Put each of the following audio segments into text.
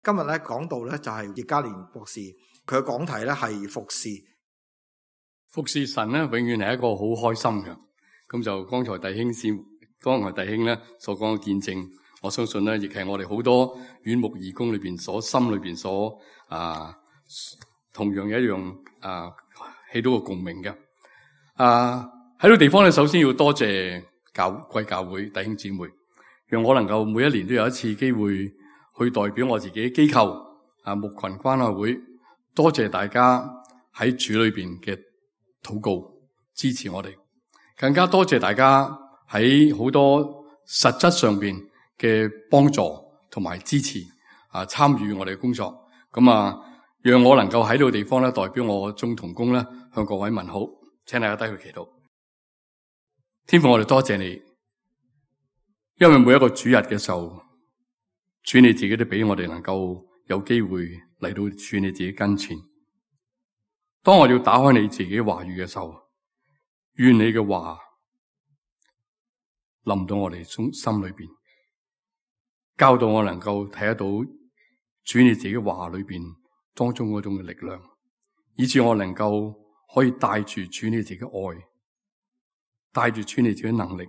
今日咧講到咧就係葉嘉蓮博士，佢嘅講題咧係服侍。服侍神咧，永遠係一個好開心嘅。咁就剛才弟兄咧所講嘅見證，我相信咧亦係我哋好多院牧義工裏邊心裏邊所同樣一樣起到個共鳴嘅。喺呢個地方咧，首先要多謝貴教會弟兄姊妹，讓我能夠每一年都有一次機會去代表我自己機構牧群關愛會，多謝大家喺主裏邊嘅禱告支持我哋，更加多謝大家喺好多實質上邊嘅幫助同埋支持參與我哋嘅工作。咁讓我能夠喺呢個地方咧，代表我眾同工咧，向各位問好，請大家低去祈禱。天父，我哋多謝你，因為每一個主日嘅時候，主你自己都俾我哋能夠有機會嚟到主你自己跟前。當我要打開你自己話語嘅時候，願你嘅話臨到我哋心裏邊，教導我能夠睇得到主你自己話裏邊當中嗰種嘅力量，以致我能夠可以帶住主你自己嘅愛，帶住主你自己嘅能力，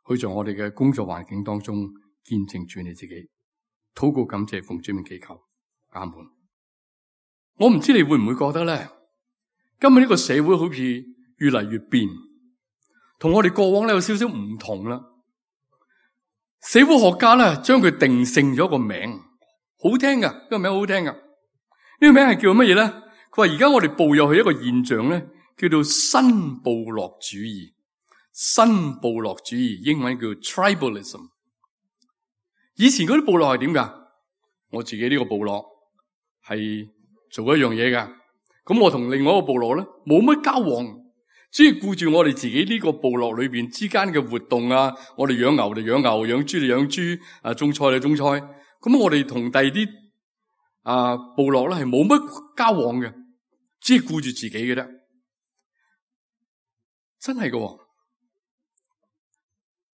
去做我哋嘅工作環境當中見證主你自己。禱告感謝奉主名祈求，阿門。我唔知你會唔會覺得咧，今日呢個社會好似越嚟越變，同我哋過往咧有少少唔同啦。社會學家咧將佢定性咗個名，好聽噶，呢個名好聽噶。呢個名係叫乜嘢咧？佢話而家我哋步入去一個現象咧，叫做新部落主義。新部落主義英文叫 tribalism。以前嗰啲部落係點噶？我自己呢個部落係做一樣嘢噶。咁我同另外一個部落咧冇乜交往，只係顧住我哋自己呢個部落裏邊之間嘅活動啊。我哋養牛就養牛，養豬就養豬，種菜就種菜。咁我哋同第二啲部落咧係冇乜交往嘅，只係顧住自己嘅啫。真係噶，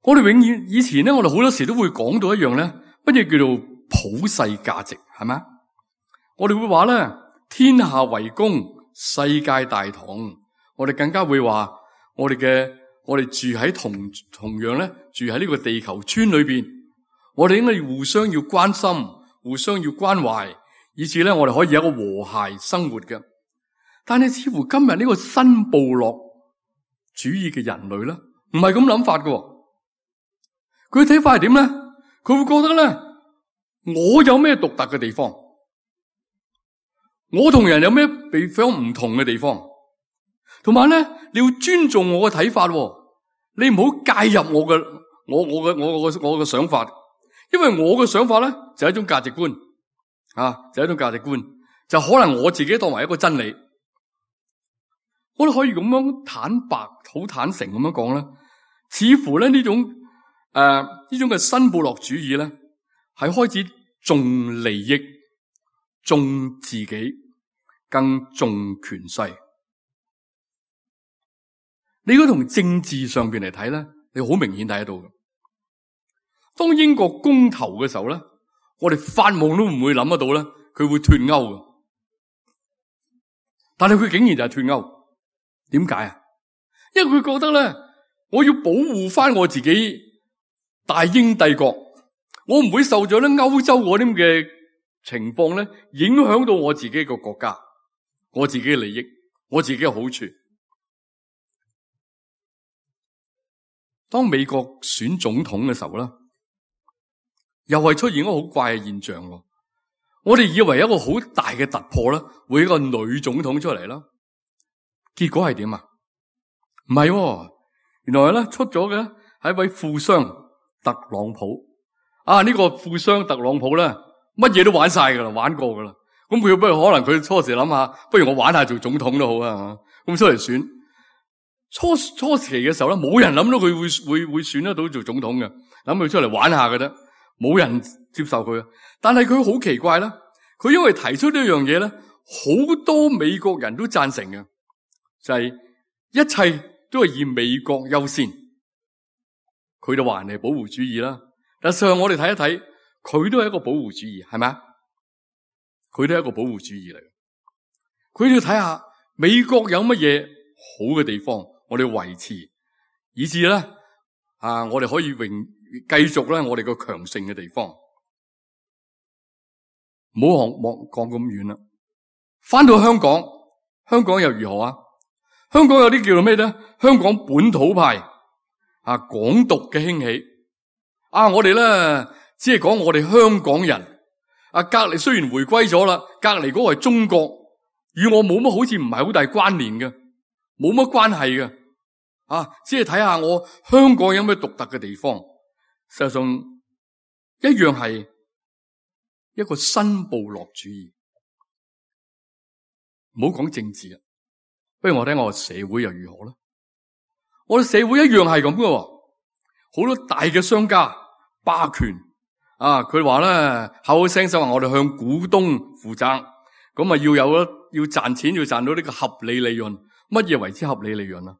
我哋永遠以前咧，我哋好多時都會講到一樣咧，乜嘢叫做普世價值，係咪？我哋會話咧，天下為公，世界大同。我哋更加會話，我哋住喺同樣咧，住喺呢個地球村裏邊，我哋應該互相要關心，互相要關懷，以至咧我哋可以有一個和諧生活嘅。但係似乎今日呢個新部落主義嘅人類咧，唔係咁諗法嘅。佢睇法係點咧？佢會覺得咧，我有咩獨特嘅地方？我同人有咩地方唔同嘅地方？同埋咧，你要尊重我嘅睇法，你唔好介入我嘅想法，因為我嘅想法咧就係一種價值觀，就係一種價值觀，就可能我自己當為一個真理。我哋可以咁樣坦白、好坦誠咁樣講咧，似乎咧呢種嘅新部落主義咧，係開始重利益、重自己、更重權勢。你如果從政治上邊嚟睇咧，你好明顯睇得到嘅。當英國公投嘅時候咧，我哋發夢都唔會諗得到咧，佢會脫歐嘅。但係佢竟然就係脫歐，點解啊？因為佢覺得咧，我要保護翻我自己大英帝國，我唔會受咗咧歐洲嗰啲嘅情況咧影響到我自己個國家，我自己嘅利益，我自己嘅好處。當美國選總統嘅時候咧，又係出現一個好怪嘅現象。我哋以為一個好大嘅突破咧，會有一個女總統出嚟啦。結果係點啊？唔係，原來咧出咗嘅係一位富商特朗普。呢個富商特朗普咧，乜嘢都玩晒噶啦，玩過噶啦。咁佢不如可能佢初時諗下，不如我玩下做總統都好啊。咁出嚟選。初期嘅時候咧，冇人諗到佢會選得到做總統嘅，諗佢出嚟玩下嘅啫，冇人接受佢。但係佢好奇怪啦，佢因為提出呢樣嘢咧，好多美國人都贊成嘅，就係一切都係以美國優先。佢就話人哋保護主義啦，但係事實上我哋睇一睇，佢都係一個保護主義，係咪啊？佢都係一個保護主義嚟。佢都要睇下美國有乜嘢好嘅地方，我哋維持，以至咧我哋可以繼續咧我哋個強盛嘅地方。唔好講咁遠啦，翻到香港，香港又如何啊？香港有啲叫做咩咧？香港本土派港獨嘅興起。我哋咧只係講我哋香港人。隔籬雖然回歸咗啦，隔籬嗰個係中國，與我冇乜好似唔係好大關聯嘅，冇乜關係嘅。只係睇下我香港有咩獨特嘅地方。實際上一樣係一個新部落主義。唔好講政治啊，不如我睇我社會又如何咧？我哋社會一樣係咁嘅，好多大嘅商家霸權。佢話咧口口聲聲話我哋向股東負責，咁要賺錢，要賺到呢個合理利潤。乜嘢為之合理利潤啊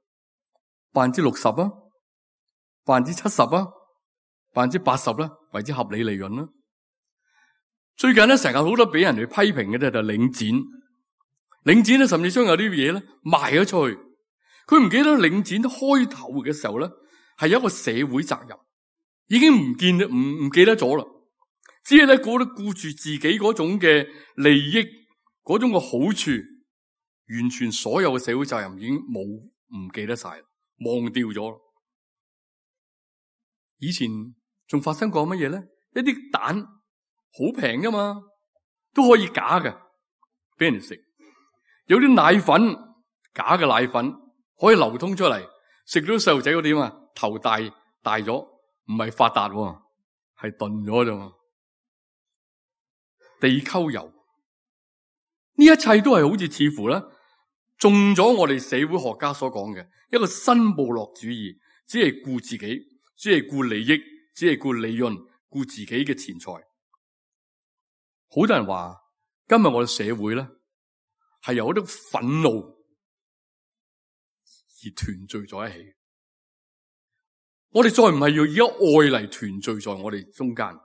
？60%啊，70%啊，80%啦，為之合理利潤啦。最近咧成日好多俾人哋批評嘅咧就係領展咧甚至將有啲嘢咧賣咗出去。佢唔記得領展開頭嘅時候咧係有一個社會責任，已經唔記得咗啦。只係咧顧住自己嗰種嘅利益，嗰種嘅好處，完全所有嘅社會責任已經唔記得晒，忘掉咗。以前仲發生過乜嘢咧？一啲蛋好平噶嘛，都可以假嘅，俾人哋食。有啲奶粉，假嘅奶粉可以流通出嚟，食到細路仔嗰啲嘛，頭大咗，唔係發達，係鈍咗啫嘛。地溝油，呢一切都係好似似乎咧中咗我哋社會學家所講嘅一個新部落主義，只係顧自己，只係顧利益，只係顧利潤，顧自己嘅錢財。好多人話今日我哋社會咧係由一種憤怒而團聚在一起。我哋再唔係要以愛嚟團聚在我哋中間，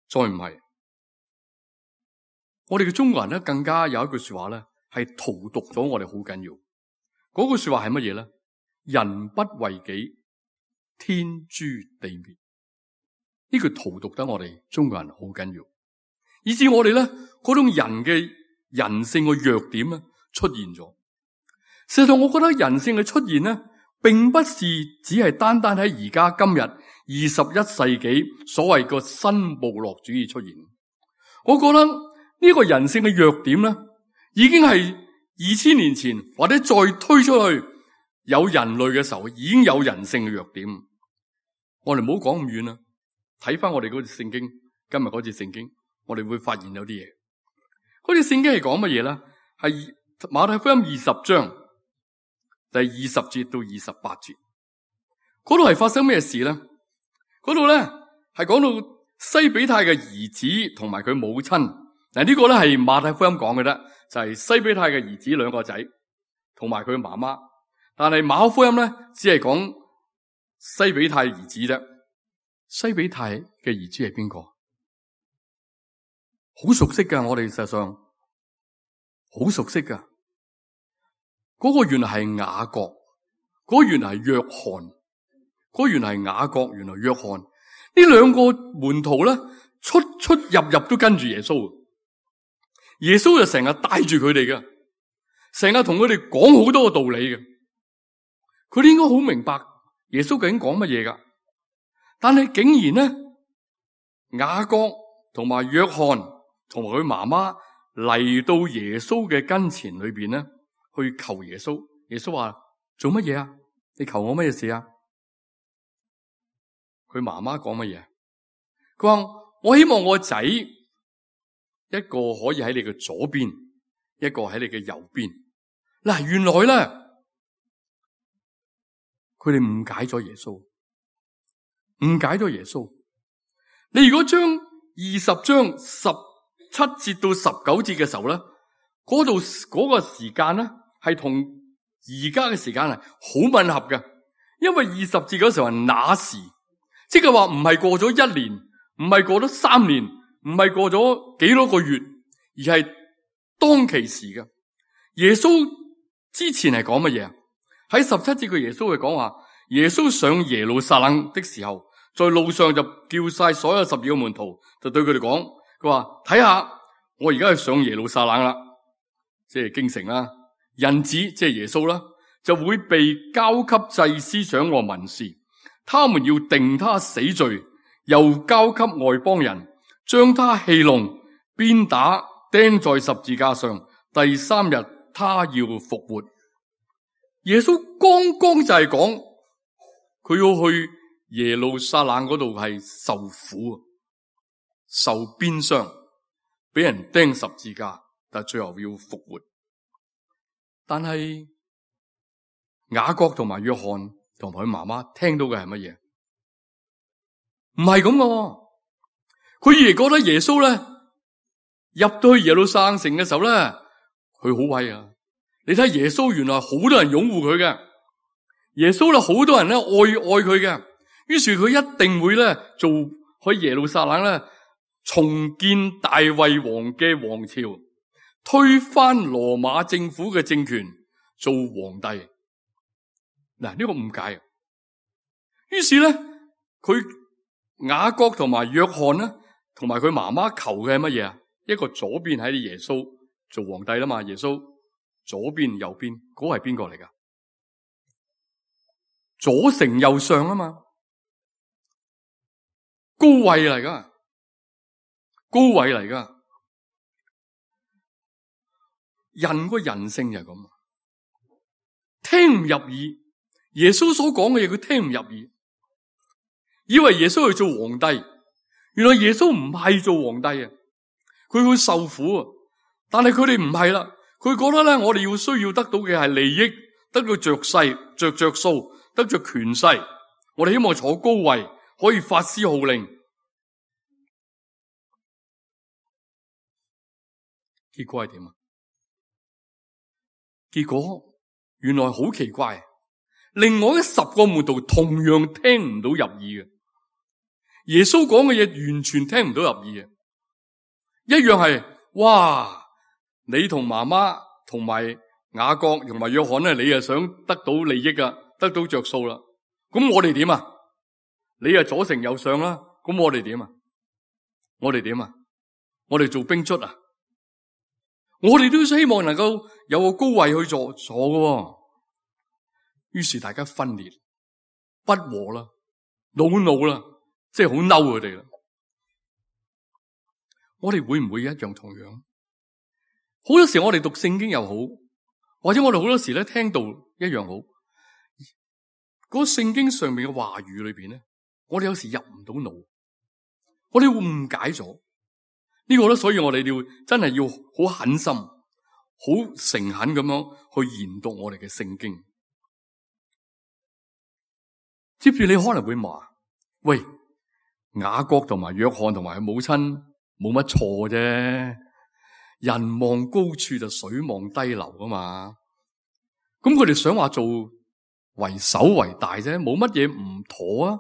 再唔係。我哋嘅中國人咧，更加有一句說話咧，係荼毒咗我哋好緊要。嗰句說話係乜嘢咧？人不為己，天誅地滅。呢句荼毒得我哋中國人好緊要，以至我哋咧嗰種人嘅人性嘅弱點咧出現咗。事實上，我覺得人性嘅出現咧，並不是只係單單喺而家今日21世紀所謂個新部落主義出現。我覺得呢個人性嘅弱點咧，已經係2000年前或者再推出去有人類嘅時候，已經有人性嘅弱點。我哋唔好講咁遠啦，睇翻我哋嗰節聖經，今日嗰節聖經，我哋會發現有啲嘢。嗰節聖經係講乜嘢咧？係馬太福音20章第20節到28節。嗰度係發生咩事咧？嗰度咧係講到西比泰嘅兒子同埋佢母親。嗱，呢個咧係馬太福音講嘅啫，就係西比泰嘅兒子兩個仔同埋佢媽媽。但係馬可福音咧只係講西比泰兒子啫。西比泰嘅兒子係邊個？好熟悉噶，我哋實際上好熟悉噶。嗰個原來係雅各，嗰個原來係約翰，嗰個原來係雅各，原來約翰。呢兩個門徒咧出入都跟住耶穌。耶穌就成日帶住佢哋嘅，成日同佢哋講好多個道理嘅。佢哋應該好明白耶穌究竟講乜嘢噶。但係竟然咧，雅各同埋約翰同埋佢媽媽嚟到耶穌嘅跟前裏邊咧，去求耶穌。耶穌話：做乜嘢啊？你求我乜嘢事啊？佢媽媽講乜嘢？佢話：我希望我仔一個可以喺你嘅左邊，一個喺你嘅右邊。嗱，原來咧，佢哋誤解咗耶穌，誤解咗耶穌。你如果將20章17節到19節嘅時候咧，嗰度嗰個時間咧係同而家嘅時間係好吻合嘅，因為20節嗰時候係那時，即係話唔係過咗1年，唔係過咗3年，唔係過咗幾多個月，而係當其時嘅。耶穌之前係講乜嘢啊？喺17節嘅耶穌係講話，耶穌上耶路撒冷的時候，在路上就叫晒所有12個門徒，就對佢哋講，佢話睇下，我而家係上耶路撒冷啦，即係京城啦，人子即係耶穌啦，就會被交給祭司長和文士，他們要定他死罪，又交給外邦人，將他戲弄、鞭打、釘在十字架上，第3日他要復活。耶穌剛剛就係講佢要去耶路撒冷嗰度係受苦、受鞭傷，俾人釘十字架，但最後要復活。但係雅各同埋約翰同埋佢媽媽聽到嘅係乜嘢？唔係咁嘅，佢以為覺得耶穌咧入到去耶路撒冷城嘅時候咧，佢好威啊！你睇耶穌原來好多人擁護佢嘅，耶穌咧好多人咧愛佢嘅，於是佢一定會咧做去耶路撒冷咧重建大衛王嘅王朝，推翻羅馬政府嘅政權，做皇帝。嗱，呢個誤解。於是咧佢雅各同埋約翰咧同埋佢媽媽求嘅係乜嘢啊？一個左邊喺耶穌做皇帝啦嘛，耶穌左邊右邊嗰個係邊個嚟噶？左丞右相啊嘛，高位嚟噶，高位嚟噶。人個人性就係咁，聽唔入耳。耶穌所講嘅嘢佢聽唔入耳，以為耶穌去做皇帝，原來耶穌唔係做皇帝啊，佢會受苦啊。但係佢哋唔係啦，佢覺得咧，我哋要需要得到嘅係利益，得到着勢、着數，得着權勢。我哋希望坐高位，可以發施號令。結果係點啊？結果原來好奇怪，另外10個門徒同樣聽唔到入耳嘅，耶穌講嘅嘢完全聽唔到入耳嘅，一樣係哇！你同媽媽同埋雅各同埋約翰咧，你又想得到利益啊，得到着數啦。咁我哋點啊？你係左丞右相啦，咁我哋點啊？我哋點啊？我哋做兵卒啊？我哋都希望能夠有個高位去坐嘅。於是大家分裂不和啦，惱啦，即係好嬲佢哋啦。我哋會唔會一樣同樣？好多時我哋讀聖經又好，或者我哋好多時咧聽到一樣好，嗰個聖經上面嘅話語裏邊咧，我哋有時入唔到腦，我哋會誤解咗呢個咧，所以我哋要真係要好狠心、好誠懇咁樣去研讀我哋嘅聖經。接住你可能會話：喂，雅各同埋約翰同埋佢母親冇乜錯啫。人望高處就水望低流啊嘛，咁佢哋想話做為首為大啫，冇乜嘢唔妥啊？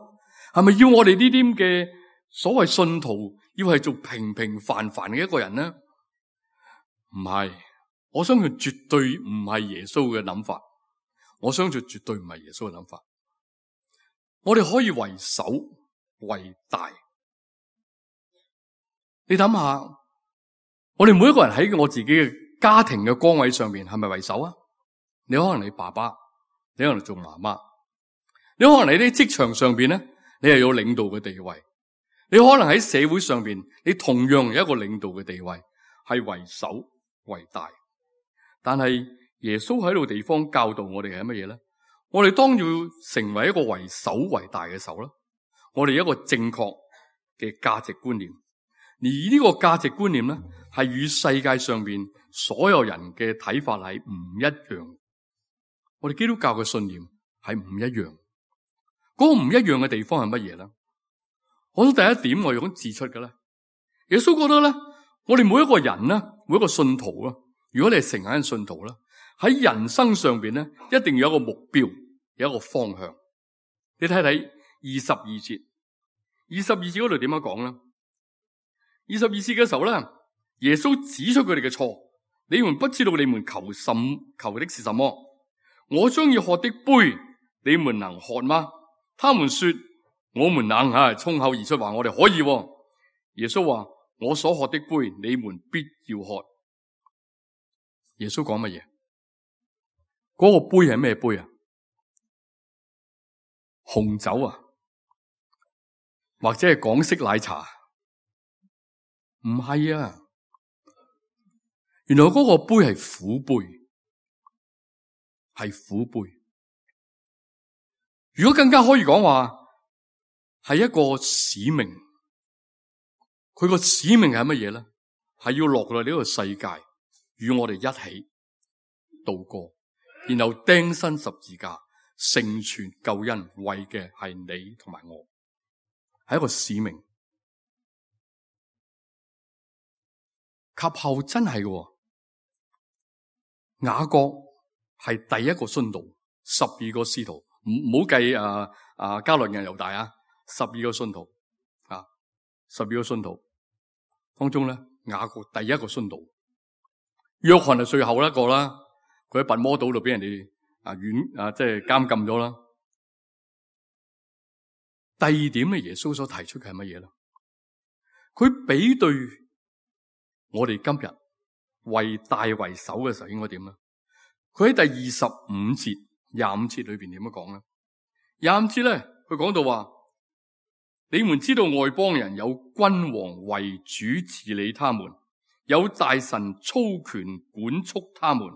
係咪要我哋呢啲嘅所謂信徒要係做平平凡凡嘅一個人呢？唔係，我相信絕對唔係耶穌嘅諗法，我相信絕對唔係耶穌嘅諗法。我哋可以為首為大，你諗下。我哋每一個人喺我自己嘅家庭嘅崗位上面係咪為首啊？你可能你爸爸，你可能做媽媽，你可能你喺職場上邊咧，你係有領導嘅地位，你可能喺社會上邊，你同樣有一個領導嘅地位，係為首為大。但係耶穌喺度地方教導我哋係乜嘢咧？我哋當要成為一個為首為大嘅時候啦，我哋有一個正確嘅價值觀念。而呢個價值觀念咧，係與世界上邊所有人嘅睇法係唔一樣。我哋基督教嘅信念係唔一樣。嗰個唔一樣嘅地方係乜嘢咧？我諗第一點我要咁指出嘅咧，耶穌覺得咧，我哋每一個人咧，每一個信徒啊，如果你係誠懇嘅信徒咧，喺人生上邊咧，一定要有一個目標，有一個方向。你睇睇22節，22節嗰度點樣講咧？22節嘅時候咧，耶穌指出佢哋嘅錯，你們不知道你們求的是什麼。我將要喝的杯，你們能喝嗎？他們說我們能，衝口而出話我哋可以。耶穌話我所喝的杯，你們必要喝。耶穌講乜嘢？嗰個杯係咩杯啊？紅酒啊，或者係港式奶茶？唔係啊，原來嗰個杯係苦杯，係苦杯。如果更加可以講話，係一個使命。佢個使命係乜嘢咧？係要落嚟呢個世界，與我哋一起度過，然後釘身十字架，成全救恩，為嘅係你同埋我，係一個使命。及後真係嘅，雅各係第一個殉道，12個使徒，唔好計加略人猶大啊，12個殉徒啊，12個殉徒當中咧，雅各第一個殉道，約翰係最後一個啦，佢喺拔摩島度俾人哋即係監禁咗啦。第二點咧，耶穌所提出嘅係乜嘢咧？佢比對我哋今日為大為首嘅時候應該點咧？佢喺第25節、25節裏邊點樣講咧？25節咧，佢講到話：你們知道外邦人有君王為主治理他們，有大臣操權管束他們。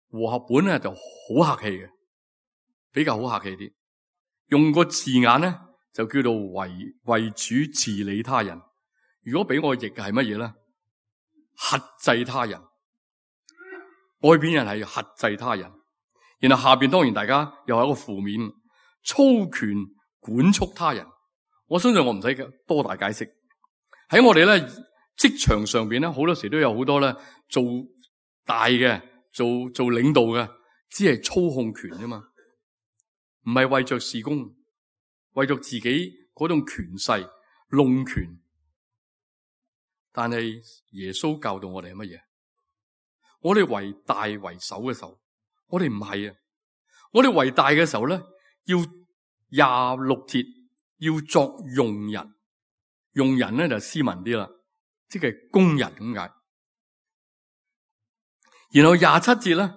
和合本咧就好客氣嘅，比較好客氣啲，用個字眼咧就叫做為主治理他人。如果俾我譯嘅係乜嘢咧？轄制他人，外邊人係轄制他人，然後下邊當然大家又係一個負面，操權管束他人。我相信我唔使多大解釋。喺我哋咧職場上邊咧，好多時都有好多咧做大嘅。做領導嘅，只係操控權啫嘛，唔係為着事工，為着自己嗰種權勢弄權。但係耶穌教導我哋係乜嘢？我哋為大為首嘅時候，我哋唔係啊！我哋為大嘅時候咧，要26節要作用人，用人咧就斯文啲啦，即係工人咁解。然後27節咧，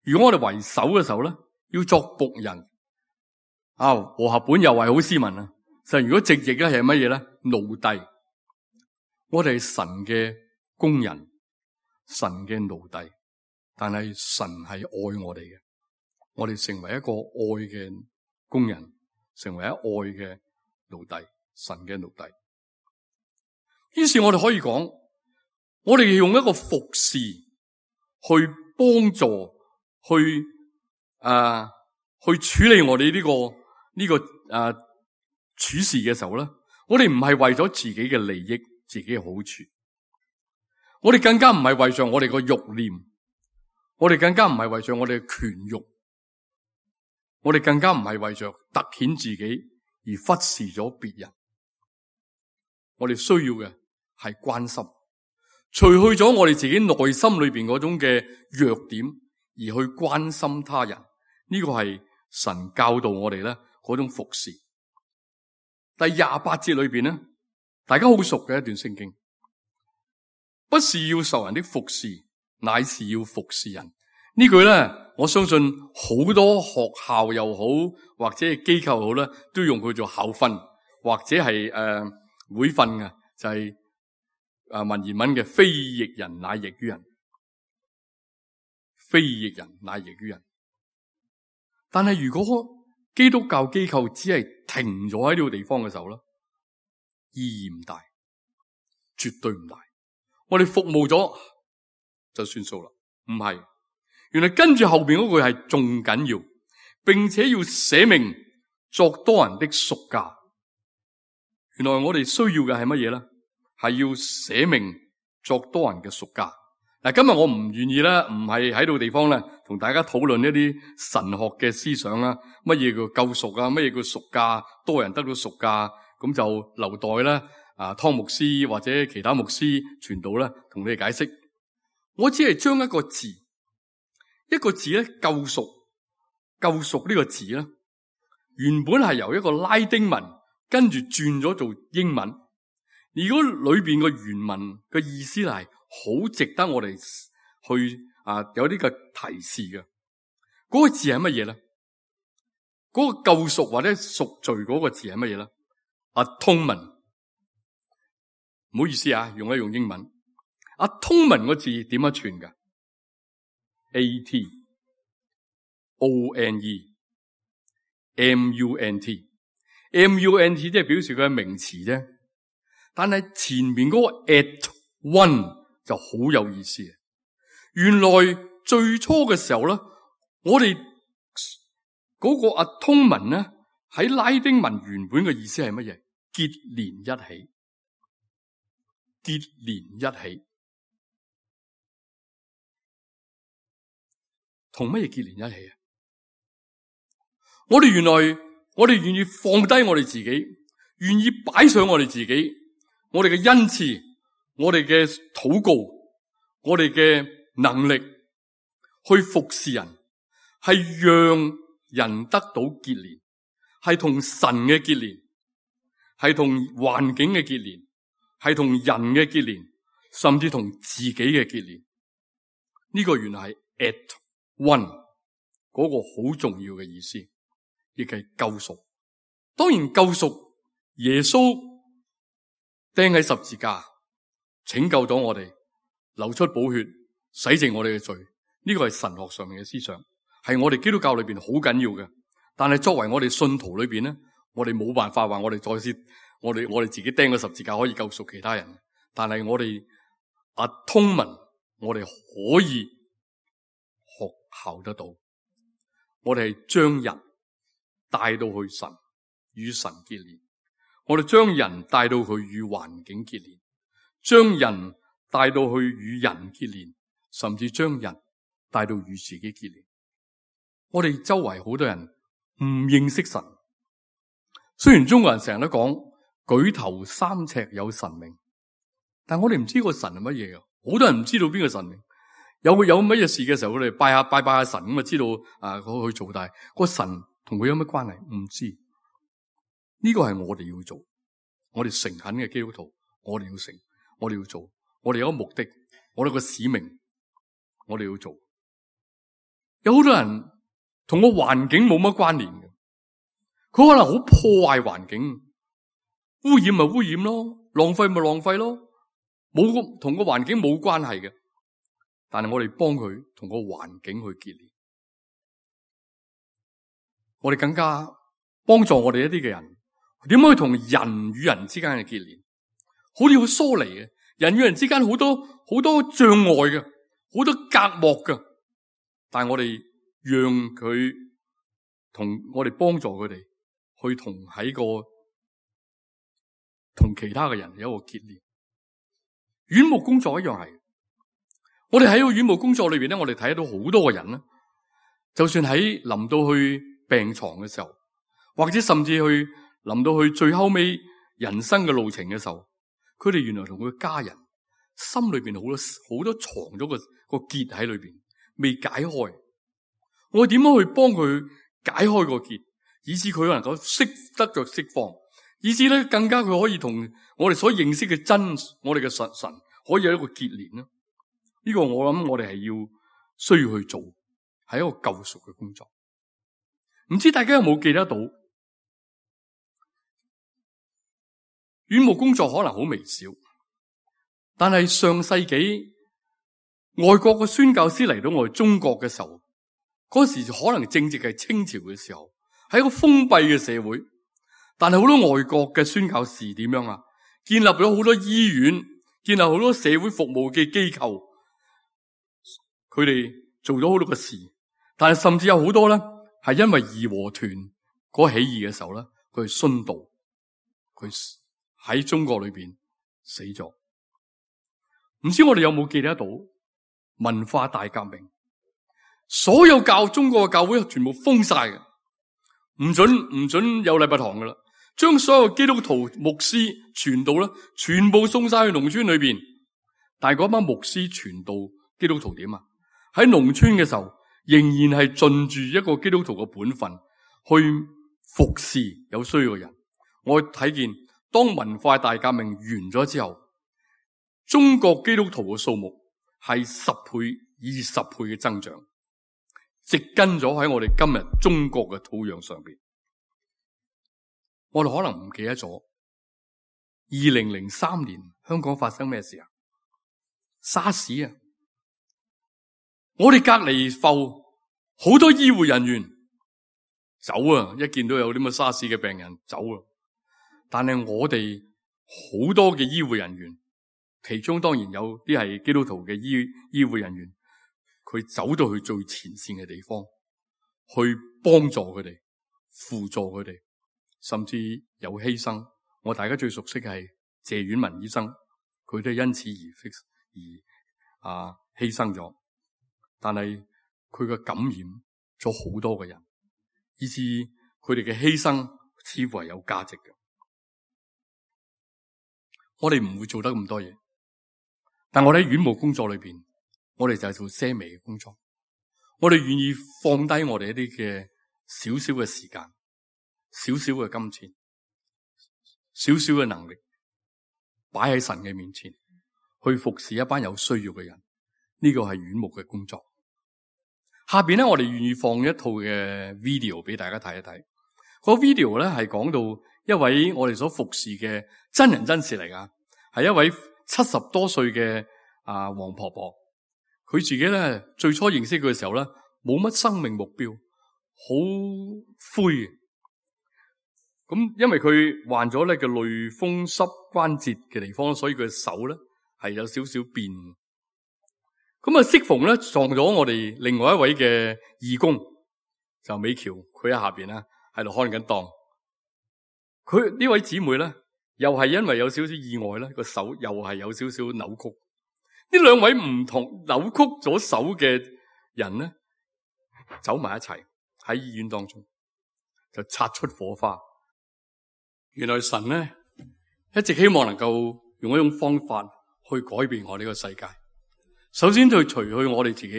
如果我哋為首嘅時候咧，要作僕人。和合本又係好斯文啊。實如果直譯咧係乜嘢咧？奴隸。我哋係神嘅工人，神嘅奴隸，但係神係愛我哋嘅，我哋成為一個愛嘅工人，成為一愛嘅奴隸，神嘅奴隸。於是我哋可以講，我哋用一個服侍去幫助，去處理我哋呢個處事嘅時候咧，我哋唔係為咗自己嘅利益、自己嘅好處，我哋更加唔係為着我哋個慾念，我哋更加唔係為着我哋嘅權慾，我哋更加唔係為着凸顯自己而忽視咗別人。我哋需要嘅係關心。除去咗我哋自己內心裏邊嗰種嘅弱點，而去關心他人，呢個係神教導我哋咧嗰種服侍。第28節裏邊咧，大家好熟嘅一段聖經，不是要受人的服侍，乃是要服侍人。呢句咧，我相信好多學校又好，或者係機構又好咧，都用佢做校訓，或者係會訓嘅，就係文言文嘅非役人乃役於人，非役人乃役於人。但係如果基督教機構只係停咗喺呢個地方嘅時候咧，意義唔大，絕對唔大。我哋服務咗就算數啦，唔係。原來跟住後邊嗰句係仲緊要，並且要捨命作多人的贖價。原來我哋需要嘅係乜嘢咧？係要捨命作多人嘅贖價。嗱，今日我唔願意咧，唔係喺度地方咧，同大家討論一啲神學嘅思想啦。乜嘢叫救贖啊？乜嘢叫贖價？多人得到贖價，咁就留待咧湯牧師或者其他牧師傳道咧同你哋解釋。我只係將一個字咧，救贖呢個字咧，原本係由一個拉丁文跟住轉咗做英文。如果裏邊嘅原文嘅意思係好值得我哋去有啲嘅提示嘅。嗰個字係乜嘢咧？嗰個救贖或者贖罪嗰個字係乜嘢咧？Atonement。唔好意思用英文。Atonement 個字點樣串㗎？ATONEMUNT 即係表示佢係名詞啫。但係前面嗰個 at one 就好有意思。原來最初嘅時候咧，我哋嗰個 atonement 咧喺拉丁文原本嘅意思係乜嘢？結連一起，結連一起，同乜嘢結連一起啊？我哋願意放低我哋自己，願意擺上我哋自己，我哋嘅恩賜，我哋嘅禱告，我哋嘅能力去服侍人，係讓人得到結連，係同神嘅結連，係同環境嘅結連，係同人嘅結連，甚至同自己嘅結連。呢個原來係 at one 嗰個好重要嘅意思，亦係救贖。當然救贖，耶穌釘喺十字架拯救咗我哋，流出寶血洗淨我哋嘅罪。呢個係神學上面嘅思想，係我哋基督教裏邊好緊要嘅。但係作為我哋信徒裏邊咧，我哋冇辦法話我哋再次我哋自己釘個十字架可以救贖其他人。但係我哋atonement，我哋可以學效得到。我哋係將人帶到去神與神結連，我哋將人帶到去與環境結連，將人帶到去與人結連，甚至將人帶到與自己結連。我哋周圍好多人唔認識神，雖然中國人成日都講舉頭三尺有神明，但我哋唔知個神係乜嘢嘅。好多人唔知道邊個神明，有乜嘢事嘅時候，佢哋拜下神咁啊，知道去做，但係個神同佢有乜關係唔知。呢個係我哋要做，我哋誠懇嘅基督徒，我哋要做，我哋有個目的，我哋有個使命，我哋要做。有好多人同個環境冇乜關聯嘅，佢可能好破壞環境，污染咪污染咯，浪費咪浪費咯，冇同個環境冇關係嘅。但係我哋幫佢同個環境去結連，我哋更加幫助我哋一啲嘅人，點樣去同人與人之間嘅結連，好似好疏離嘅，人與人之間好多障礙嘅，好多隔膜嘅。但係我哋讓佢同我哋幫助佢哋去同其他嘅人有一個結連。院牧工作一樣係，我哋喺個院牧工作裏邊咧，我哋睇到好多個人啦。就算喺臨到去病床嘅時候，或者甚至臨到去最後尾人生嘅路程嘅時候，佢哋原來同佢家人心裏邊好多藏咗個結喺裏邊，未解開。我點樣去幫佢解開個結，以致佢能夠得着釋放，以致咧更加佢可以同我哋所認識嘅我哋嘅神可以有一個結連呢？呢個我諗我哋係需要去做，係一個救贖嘅工作。唔知大家有冇記得到？院牧工作可能好微小，但係上世紀外國嘅宣教師嚟到我哋中國嘅時候，嗰時可能正值係清朝嘅時候，係一個封閉嘅社會。但係好多外國嘅宣教士點樣啊？建立咗好多醫院，建立好多社會服務嘅機構，佢哋做咗好多嘅事。但係甚至有好多咧，係因為義和團嗰起義嘅時候咧，佢殉道，佢喺中國裏邊死咗。唔知我哋有冇記得到文化大革命？所有中國嘅教會全部封晒嘅，唔准有禮拜堂噶啦。將所有基督徒牧師傳道咧，全部送晒去農村裏邊。但係嗰班牧師傳道基督徒點啊？喺農村嘅時候，仍然係盡住一個基督徒嘅本分去服侍有需要嘅人。我睇見當文化大革命完咗之後，中國基督徒嘅數目係10倍、20倍嘅增長，植根咗喺我哋今日中國嘅土壤上邊。我哋可能唔記得咗2003年香港發生咩事啊？沙士啊！我哋隔離埠好多醫護人員走啊，一見到有啲咁嘅沙士嘅病人走啊。但係我哋好多嘅醫護人員，其中當然有啲係基督徒嘅醫護人員，佢走到去最前線嘅地方，去幫助佢哋，輔助佢哋，甚至有犧牲。我大家最熟悉嘅係謝婉文醫生，佢都係因此而犧牲咗。但係佢嘅感染咗好多嘅人，以致佢哋嘅犧牲似乎係有價值嘅。我哋唔會做得咁多嘢，但我哋喺院務工作裏邊，我哋就係做些微嘅工作。我哋願意放低我哋一啲嘅少少嘅時間、少少嘅金錢、少少嘅能力，擺喺神嘅面前，去服侍一班有需要嘅人。呢個係院牧嘅工作。下邊咧，我哋願意放一套嘅 video 俾大家睇一睇。個 video 咧係講到一位我哋所服侍嘅真人真事嚟噶，係一位70多歲嘅黃婆婆。佢自己咧最初認識佢嘅時候咧，冇乜生命目標，好灰嘅。咁因為佢患咗咧嘅類風濕關節嘅地方，所以佢嘅手咧係有少少變。咁啊，適逢咧撞咗我哋另外一位嘅義工，就美橋，佢喺下邊咧喺度看緊檔。佢呢位姊妹咧，又係因為有少少意外咧，個手又係有少少扭曲。呢兩位唔同扭曲咗手嘅人咧，走埋一齊喺醫院當中，就擦出火花。原來神咧一直希望能夠用一種方法去改變我呢個世界。首先就除去我哋自己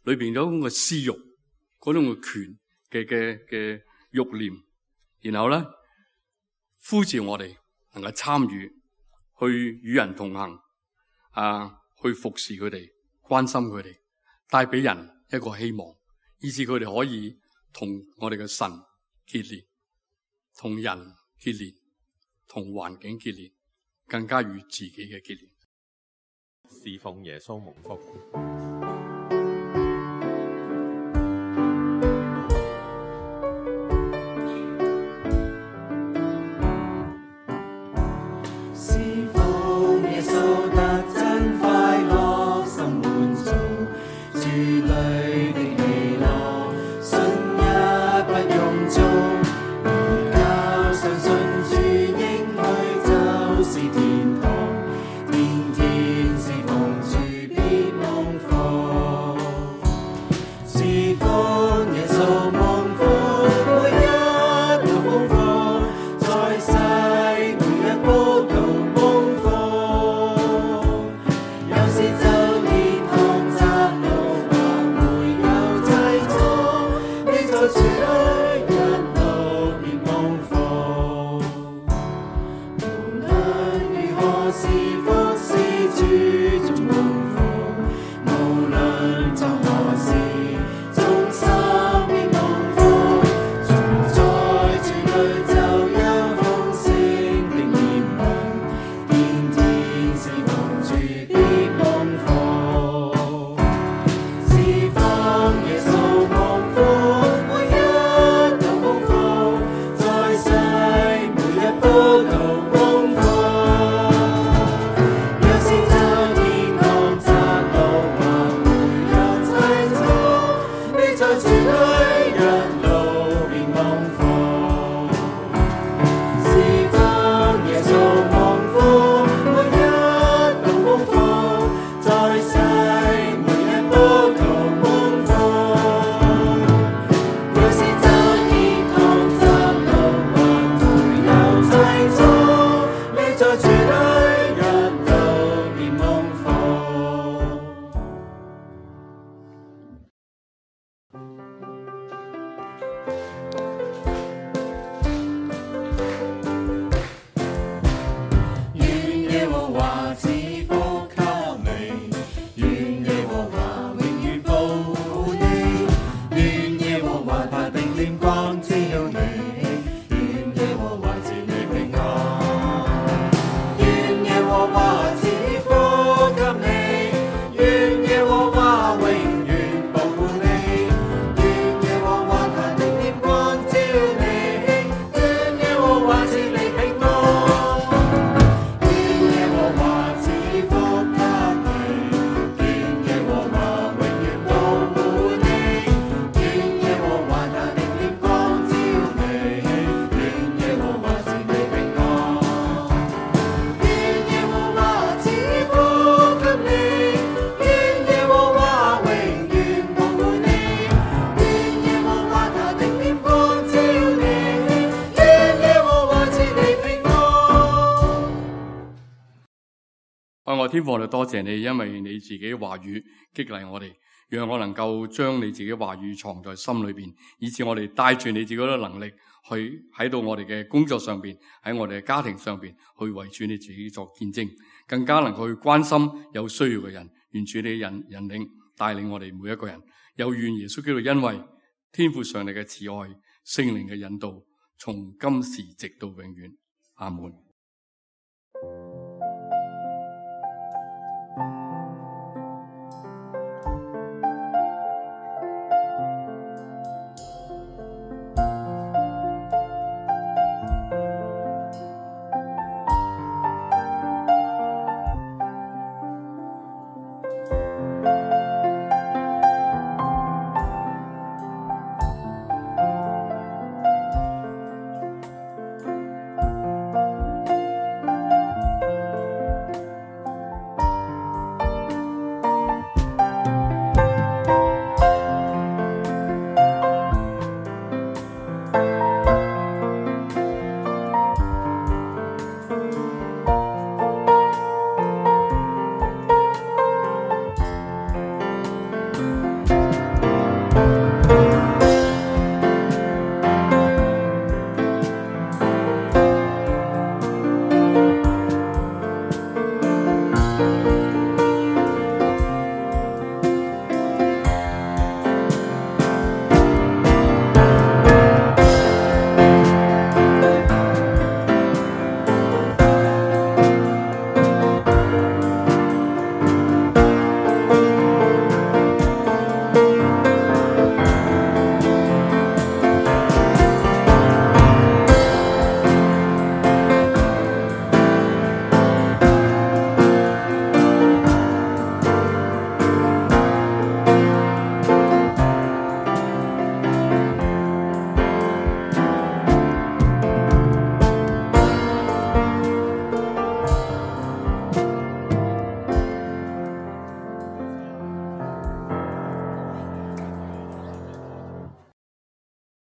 裏邊嗰種嘅私欲，嗰種嘅權嘅欲念，然後咧呼召我哋能夠參與，去與人同行，去服侍佢哋，關心佢哋，帶俾人一個希望，以致佢哋可以同我哋嘅神結連，同人結連，同環境結連，更加與自己嘅結連。侍奉耶穌蒙福。侍奉耶穌得真快樂，心滿足，主裏的喜樂，信一不用做，而靠相信主應許就是天堂。天天侍奉主必蒙福，侍奉耶穌蒙福，每一都蒙福，在世每一步都蒙福。有時走天堂窄路，或會有擠阻，你在主裏一路便蒙福。無論如何是福是主總蒙福，無論作何事，眾生必蒙福。住在主裏就有豐盛的憐憫，天天侍奉主必蒙福。侍奉耶穌蒙福，每一都蒙福，在世每一步都蒙福。有時走天耶和華賜福給你，願耶和華永遠保護你，願耶和華他的臉光照你，願耶和華賜你平安，願耶和華賜福給你，願耶和華永遠保護你，願耶和華他的臉光照你，願耶和華賜你平安。愛我天父，我哋多謝你，因為你自己話語激勵我哋，讓我能夠將你自己話語藏在心裏邊，以致我哋帶住你自己嘅能力去喺到我哋嘅工作上邊，喺我哋嘅家庭上邊去為主你自己作見證，更加能夠去關心有需要嘅人。願主你引領帶領我哋每一個人，又願耶穌基督因為天父上帝嘅慈愛、聖靈嘅引導，從今時直到永遠。阿門。